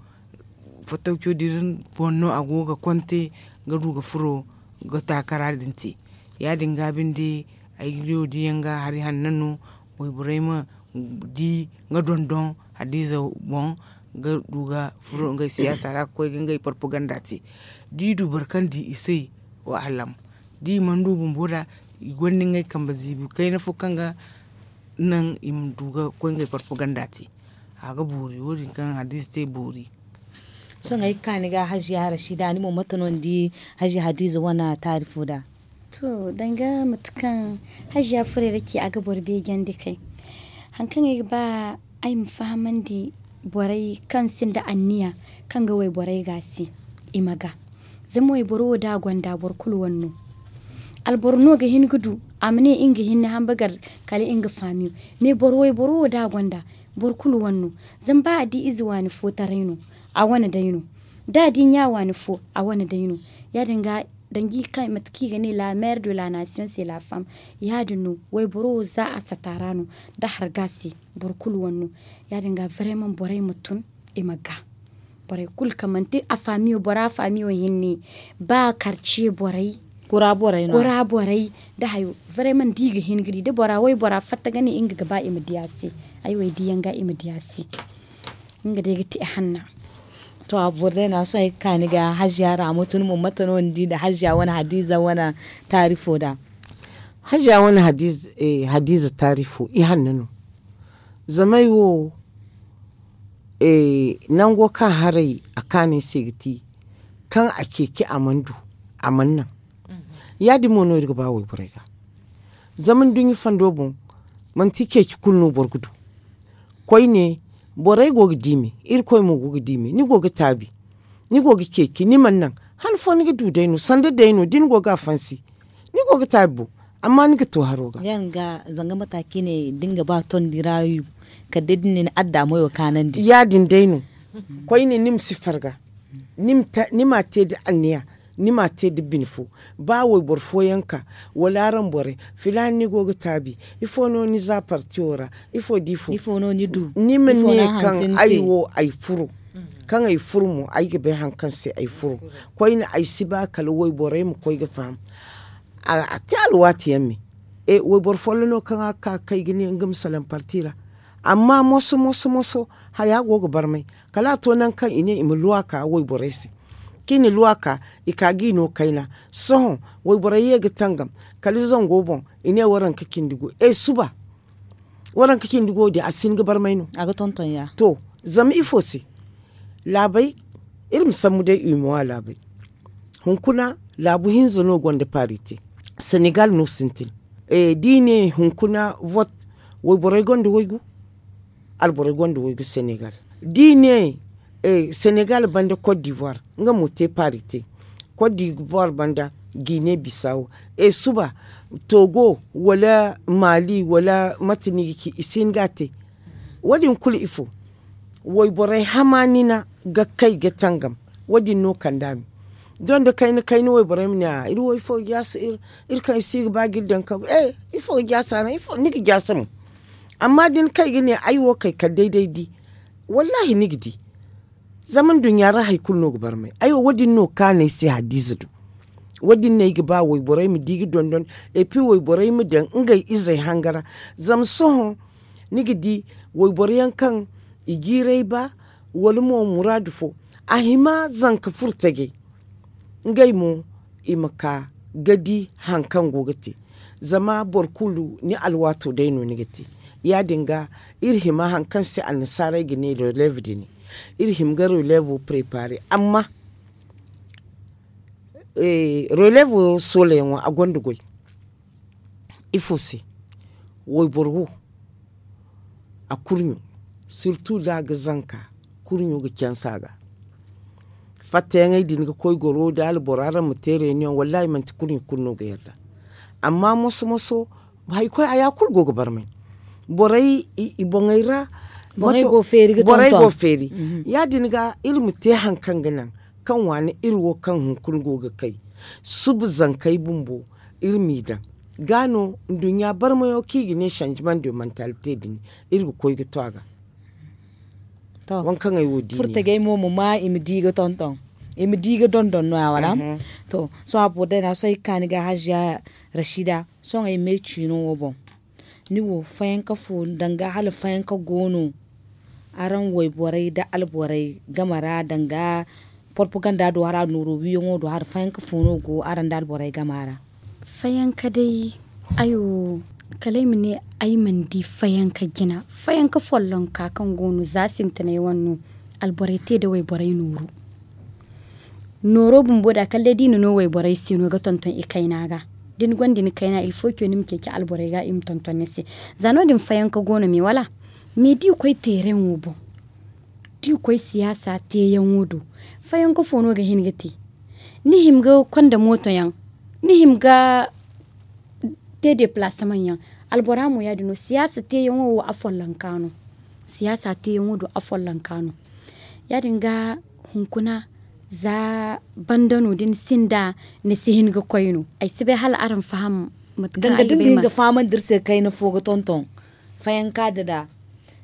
fatawco din boŋ no a go ga konte ga du ga furo ga taakara din te. Ya- din ga binde, ay ga di wo diyaŋ ga hari hanno no. Wayborey ma di nga dondon hadiiza boŋ ga du ga furo ngey siyaasa ra ga koy ga ngey propaganda te. Da i du boro kaŋ di i se, wa halam da i mana du bumbo da, i gonda ngey kambe ziibi kayna fo kaŋ ga naŋ i ma du ga koy ngey propaganda te. A ga boori wo- din kaŋ hadiiza te boori. Sohõ ay ga ka ni ga hajiya rashida ni mo mate no ni di hajiya hadiiza wane taarifo da? To, danga mate kaŋ hajiya furey ra ci a ga boro beejandi kay. Hari kaŋ ay ga ba ay ma fahamandi borey kaŋ sinda anniya kaŋ ga wayborey ga se, i ma ga. Zama wayboro wo da a gonda boro kulu wane no. Alboro no ga hin ga du a ma ne nga hinne hambagar kala nga faamiyo. Mais boro wayboro wo da a gonda boro kulu wane no. Zama ba a di ize waani fo taray no, a wane day no. Da a di ɲa waani fo, a wane day no. Ya- din ga danji kaŋ mate kaŋ i ga ne la mère de la nation c'est la femme. Ya- din no wayboro wo za a sata ra no, da harga se, boro kulu wane no. Ya- din ga vraiment borey ma tun, i ma ga borey kulu kaŋ manti a faamiyo bora faamiyo hinne, ba karce borey, kura borey da hayo. Vraiment da i ga hin ga di da bora waybora fatta ga ne nga ga ba i ma di a se. Ay wo ay diyaŋ ga i ma di a se. Nga day ga te hanna. To, a boro day no a sohõ ay ga ka ni ga hajiya ra a ma tun mo mate no ni di nda hajiya wane hadiiza wane taarifo da? Hajiya wane hadiiza taarifo i hanna no. Zama ay wo nango kaŋ haray a kaanay se ga ti kaŋ a ceeci a mana du, a mana naŋ. Ya- din mo no iri ga ba wayborey ga. Zama nduɲɲa fondo boŋ, manti ceeci kulu no boro ga du. Koyne, borey go ga diimi, irkoy mo go ga diimi ni go ga taabi, ni go ga ceeci ni mana naŋ. Han fo ni ga du day no sanda day no da ni go ga a fansi, ni go ga taabi bo. Amma ni ga to haro ga. Zanga mata kaŋ i ne da ni ga ba tondi ra, kala day da ni na ni adda moyo kaanandi. Ya- din day no. Koyne ni ma si farga, ni ma te nda anniya, ni ma te nda bine fo. Ba wayboro fooyaŋ ka, wala araŋ borey, filaana ni go ga taabi, ifo no ni za parti wo ra? Ifo da ifo ni ma ne kaŋ ay wo ay furo. Kaŋ ay furo mo ay ga bay hari kaŋ se ay furo. Koyne ay si ba kala wayborey ma koy ga faham. A te alwaati yaŋ me. Wayboro follo no kaŋ a ga ka ga kay ga ne nga ma salaŋ parti ra. Amma moso moso moso, haya go ga barmay. Kala a to nangu kaŋ i ne i ma luwa ka wayborey se. Kaŋ i na luwa ka, i ka ga i no kayna. Sohõ wayborey ye ga tangam, kala zango boŋ, i ne waranka cindi gu e suba. Waranka cindi gu wo- din a si hin ga barmay no. To, zama ifo se? Laabey, iri ma sambu day i ma wa laabey. Hunkuna, laabu hinza no gonda paari te. Senegal no sintin. Da i ne hunkuna vote, wayborey gonda waygu, alborey gonda waygu senegal. Da i ne senegal banda cote d'ivoire, nga mo te paari te. Cote d'ivoire banda, guinée bissau, e suba, togo wala mali wala mate no i ga ci i si hin ga a te. Wo- din kulu ifo? Wayborey hamaanina ga kay ga tangam. Wo- din no kand'a me. Doŋ da kayna kayna wayborey ma ne a iri wo ifo ga jaasa iri kaŋ i si ga ba ga iri daŋ kabu e ifo ga jaasa araŋ? Ni ga jaasa mo. Amma da ni kay ga ne ay wo kay kala day day di, wallaahi ni ga di. Zama nduɲɲa ra hari kulu no ga barmay ay wo wo- din no kaanay se hadiiza do. Wo- din no ay ga ba wayborey ma di ga dondon. Epi wayborey ma daŋ ngey izey hanga ra. Zama sohõ, ni ga di wayboro yaŋ kaŋ i jiiray ba, wala mo muraadu fo, a hima zanka furo tajay. Ngey mo i ma ka ga di hari kaŋ go ga te. Zama boro kulu ni alwaato day no ni ga te. Ya- din ga, iri hima hari kaŋ se annasaarey ga ne releve din. Iri hima ga relevo prepare amma relevo soolayaŋo a gonda goy. Ifo se? Wayboro wo, a kurɲo, sirtu da a ga zanka, kurɲo ga canse a ga. Fattayaŋey din ga koy goro da alboro araŋ ma te reunion wallaahi manti kurɲo kulu no ga yarda. Amma moso moso, hari koy a ya kulu go ga barmay. Borey i boŋey ra, borey go feeri ga tonton. Ya- din ga iri ma te hari kaŋ ga naŋ kaŋ waani iri wo kaŋ hunkuna go ga kay, suba zankey bumbo, iri m'i daŋ. ga no nduɲɲa barmayo kaŋ i ga ne sanjiman de mantalite din, iri ga koy ga to a ga. Waŋ kaŋ ay wo di ne. Furtajey mo ma ma i ma di ga tonton, i ma di ga dondon no- ya wala? To, sohõ a boro day no a sohõ ay ga ka ni ga haziya, rasiida, sohõ ay me ciino wo boŋ. Ni wo fayanka fo danga hala fayanka go no? Araŋ wayborey nda alborey game ra danga porpaganda do hara nooro wiyaŋo do hara fayanka fo no go araŋ nda alborey game ra? Fayanka day, ay wo kala ay ma ne, ay mana di fayanka jina. Fayanka follonka kaŋ go no za sintinay wane no, alborey te nda wayborey nooru. Nooro bumbo da kala day da i na no wayborey se no ga tonton i kayna ga. Da ni gonda ni kayna ilfo ce ni ma ceeci alborey ga i ma tonton ni se. Za no- din fayanka go no me wala? Me da i koy teereŋo boŋ, da i koy siyaasa teeyaŋo do, fayanka fo no ga hin ga te? Ni hima ga konda mooto yaŋ, ni hima ga te deplaasamaŋ yaŋ. Albora mo ya- din no siyaasa teeyaŋo wo a follonka no. Siyaasa teeyaŋo do a follonka no. Ya- din ga, hunkuna za banda no da ni sinda, ni si hin ga koy no. Ay si bay hala araŋ faham mate kaŋ ay ga bay ma. Danga da ni ga hin ga fahamandi iri se kayna fo ga tonton fayanka din ra.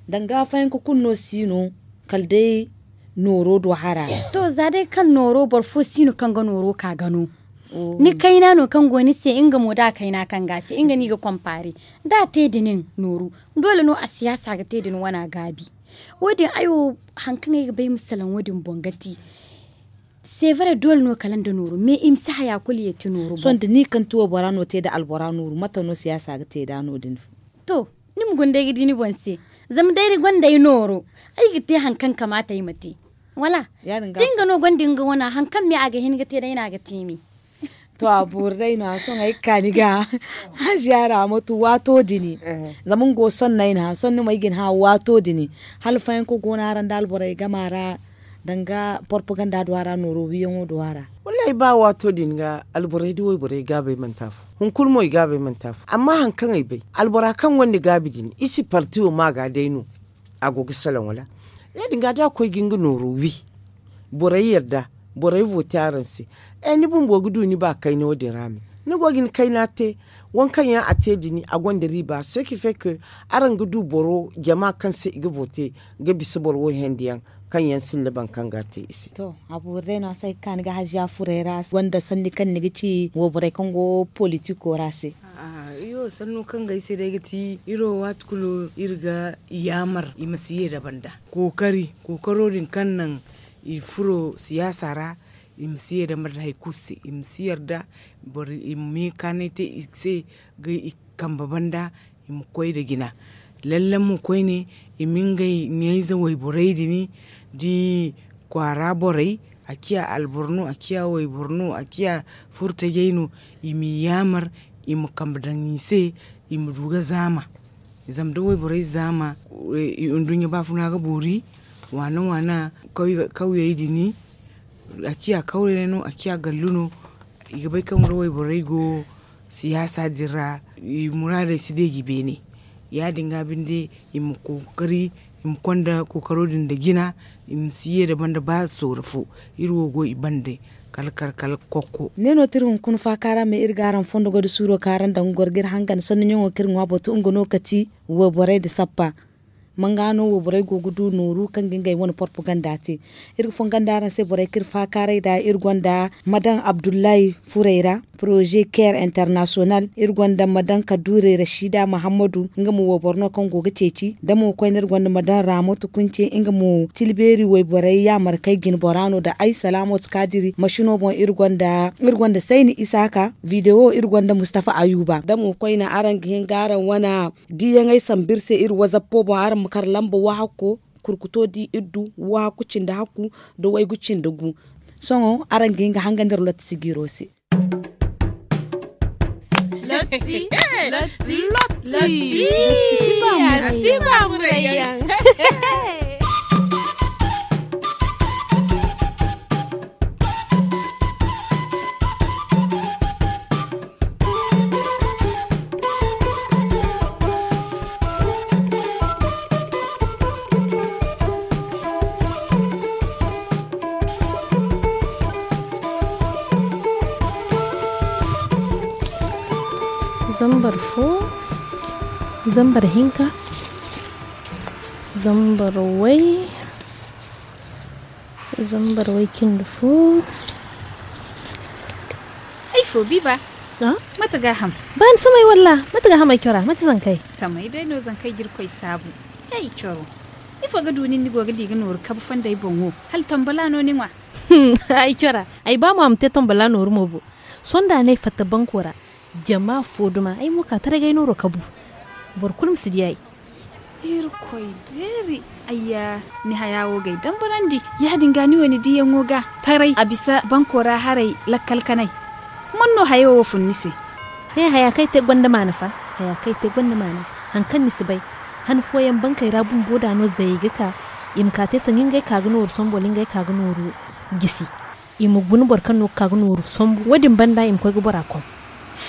Danga fayanka kulu no si no kala day nooro do hara. To za day kaŋ nooro boro fo si no kaŋ ga nooro ka ga no. Ni kayna no kaŋ go ni se nga mo da a kayna kaŋ ga a se nga no i ga konpaare. Da a te da nin nooru, doole no a siyaasa ga te da ni wana gaabi. Wo- din ay wo, hari kaŋ ay ga bay ma salaŋ wo- din boŋ ga ti. Seevare doole no kala nda nooru me i ma si haya kulu yeeti nooru boŋ. Sohõ da ni kaŋ ti waybora no te nda albora nooru mate no siyaasa ga te nd'a no- din? To, ni ma guna day ga di ni boŋ se. Zama day ni gonda ay nooro, ay ga te hari kaŋ kamaata ay ma te. Wala? Da nga no gonda nga wana hari kaŋ me a ga hin ga te day no a ga te me. To a boori day no a sohõ ay ga ka ni ga haziya ra matu waato din. Zama nga wo sohõ no ay na hã sohõ ni ma ay ga ni hã waato din. Hala fayanka go no araŋ nda alborey game ra, danga porpaganda do a ra nooro wiyaŋo do a ra? Wallaahi ba waato din ga alborey da wayborey gaabey manti afo. Hunkuna mo i gaabey manti afo amma hari kaŋ ay bay, albora kaŋ gonda gaabi din i si parti wo ma ga day no. A go ga salaŋ wala? Ya- din ga da a koy ga nga nooro wi, borey yarda, borey vooti araŋ se. Ni bumbo ga du ni ba kayna wo- din ra me? Ni go ga ni kayna te. Waŋ kaŋ yaŋ a te din a gonda riiba se ki feke. Araŋ ga du boro jama kaŋ se i ga vooti ga bisa boro wo hẽendiyaŋ kaŋ yaŋ sinda boro kaŋ ga a te i se. To, a boori day no a se ay ga ka ni ga haziya furey ra gonda sanni kaŋ ni ga ci wayborey kaŋ go politiko ra se. Iyo sanno kaŋ ga ay se day ga ti iri wo waati kulu iri ga yaamar i ma si ye da banda kookari kookaro din kaŋ naŋ i furo siyaasa ra. I ma si ye da banda hari kulu se i ma si yarda boro i ma meekaanay te i se ga i kambe banda. I ma koy nda jina lalle mo koyne i ma ngey ɲayze wayborey din da i kwaara borey a ciya alboro no a ciya wayboro no a ciya furtajey no. I m'i yaamar i ma kambe daŋ i se i ma du ga zaama. Zama da wayborey zaama nduɲɲa baafuna ga boori waana waana kawyey din a ciya kawray no a ciya gallu no. I ga bay kaŋ da wayborey go siyaasa din ra i muraadey si deeji beene. Ya- din ga binde i ma kookari i ma konda kookaro din nda jina i ma si ye nda banda ba soora fo. Iri wo go i bande kala kala kala kokko. Ne no ti iri hunkuna faaka ra me iri ga araŋ fondo goy nda suuro kaŋ araŋ daŋ ga goro ga iri hangan sanni ɲaŋo kaŋ iri ŋwa batu nga no kati wayborey nda sappa. Manga no wo borey go ga du nooru kaŋ ga ngey wane porpaganda te. Iri ga fongondi araŋ se borey kaŋ iri faakaaray nd'a iri gonda madam abdullahi furey ra, poroze care international iri gonda madam kaduure rashida muhammadu nga mo wayboro no kaŋ go ga ceeci da mo koyne iri gonda madam ramoto kunce nga mo tilbeeri wayborey yaamarkey jinbora no nda ay salaamatu kaadiri masino boŋ iri gonda sayni isaaka video iri gonda mustafa ayuba da mo koyne araŋ ga hin ga araŋ wane diiyaŋey sambu iri se iri wazappo boŋ araŋ ma kar lamba waahakko kurkuto di iddu waahakku cindi hakku nda waygu cindi gu. Sohõ araŋ ga hin ga hangandi iri lotti sijiiro se. Lotti. Lotti. Lotti. Lotti. Lotti. Lotti. Lotti. Lotti. Lotti. Lotti. Lotti. Lotti. Zambar fo, zambar hinka, zambar way, zambar way cindi fo. Ay fo, biba. Ah? Mate ga ham? Ban samay walla, mate ga ham ay cora, mate zankay? Samay day no zankay ga Irkoy saabu. Ay coro. Ifo ga du nin ni go ga di ga nooru kabu fonday boŋ wo? Hala tambala no ni ŋwa? Ay cora, ay ba mo a ma te tambala nooru mo bo. Sonda ne fatta banko ra, jama fo duma, ay mo ka taray ga ay nooro kabu. Boro kulu ma si di ay. Irkoy beeri, ayya, ni haya wo ga ay dambarandi. Yaadin ga ni wo ni diyaŋo ga taray a bisa banko ra haray lakkal kanay. Man no hayo wo fun ni se? He, haya kaŋ ay te gonda maana fa, haya kaŋ ay te gonda maana. Haŋ kaŋ ni si bay, han fooyaŋ bankey ra bumbo da no zayey ga ka, i ma ka te sanni ngey ka ga nooru sombu wala ngey ka ga nooru jisi. I ma guna boro kaŋ no ga ka ga nooru sombu. Wo-din banda i ma koy ga bora kom.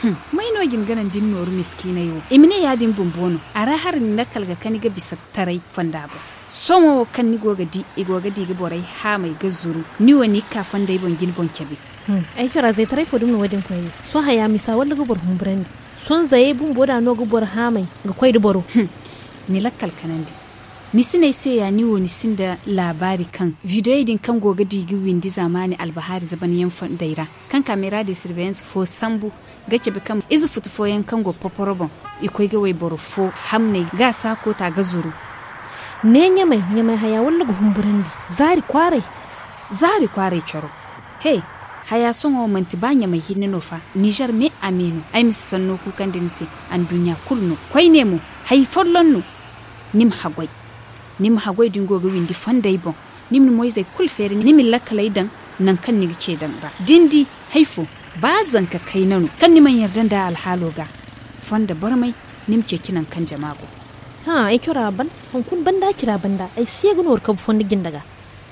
Hmm, may no jin ga naŋ da ni nooru miskiiney wo? I ma ne yaadin bumbo no. A ra hari ni lakkal ga kani ga bisa taray fonda boŋ. Sohõ wo kaŋ ni go ga di, i go ga di ga borey haamay ga zuru, ni wo ni ga ka fondey boŋ jine boŋ cabe. Hmm, ay cora zaytaray fo dumi no wo-din koyne. Sohõ haya misa walla ga boro humburandi. Sohõ zayey bumbo da no ga boro haamay ga koy da boro. Hmm, ni lakkal kanandi. Ni si ne ay se ya, ni wo ni sinda laabaari kaŋ videoyey din kaŋ go ga di ga windi zaamaani albahaari zabanyaŋ fondey ra, kaŋ camera de surveillance fo sambu ga cabe kaŋ ize futu fooyaŋ kaŋ go poporo boŋ, i koy ga wayboro fo hamney ga a saako ta ga zuru. Ne ɲamay, ɲamay haya walla ga humburandi? Zaari kwaaray. Zaari kwaaray coro. He, haya sohõ manti ba ɲamay hinne no fa, nizer me a me no. Ay ma si sanno kuukandi ni se, anduɲɲa kulu no. Koyne mo, hay folloŋ no. Ni ma haggoy. Ni ma haggoy da ni go ga windi fondey boŋ. Ni ma ni moyzey kulu feeri, ni ma ni lakkaley daŋ nangu kaŋ ni ga ce daŋ ra. Da ni di hay fo, ba zanka kayna no, kaŋ ni mana yarda nda alhaalo ga, fonda barmay, ni ma ceeci nangu kaŋ jama go. Hã, ay cora ban, hunkuna banda cira banda, ay si ye ga nooru kabu fondo jinda ga.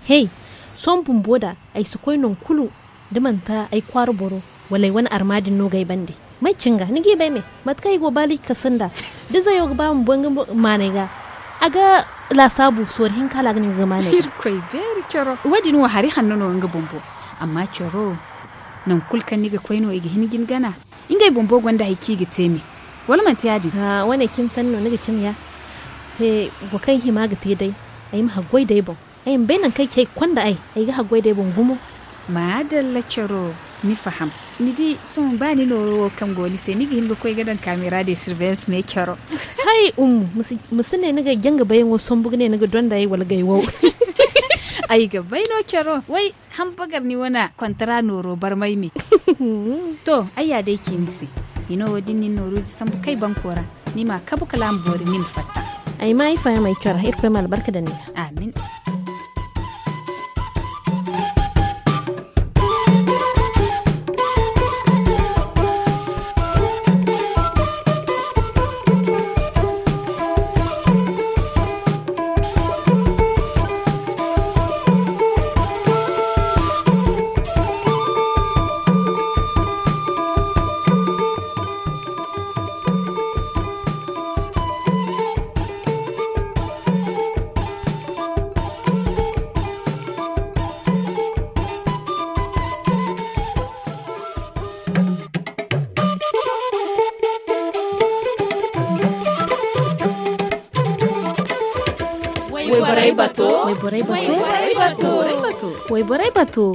Hey, sohõ bumbo da, ay si koy nangu kulu, da manti ay kwaara boro, wala ay wane arma din no ga ay bande. May cine ga, ni g'i bay me? Mate kaŋ ay go baali kasa nda, da zayo ga ba ma boŋ nga maanay ga, a ga laasaabu sorro hinka hala a ga ne nga ga maanay ga. Irkoy beeri coro. Wo-din wo hari hanno no nga bumbo. Amma coro, nangu kulu kaŋ ni ga koy no i ga hin ga ni gana. Ngey bumbo gonda hay kaŋ i ga te me. Wala manti yaadin? Haa, wane cimi sanni no ni ga cimi ya. He, wo kaŋ hima ga te day, ay ma haggoy d'ay boŋ. Ay ma bay nangu kaŋ ay ce ay ga konda ay, ay ga haggoy d'ay boŋ gumo. Maadalla coro, ni faham. Ni di, sohõ ba ni nooro wo kaŋ go ni se, ni ga hin ga koy ga daŋ camera de surveillance me coro. Hay, Ummu, ma si, ma si ne ni ga janga bayaŋo sambu ga ne ni ga donda ay wala gay wow. Ay ga bay no coro. Way, hambagar ni wane kontara nooro barmay me. To, ay ya day ci ni se. Hino wo din nin nooru ize sambu kay banko ra. Ni ma kabu kala a ma boori ni ma fatta. Ay ma ay faham ay cora, Irkoy ma albarka daŋ ni ga. Amin. Wayborey bato. Wayborey bato. Wayborey bato. Wayborey bato.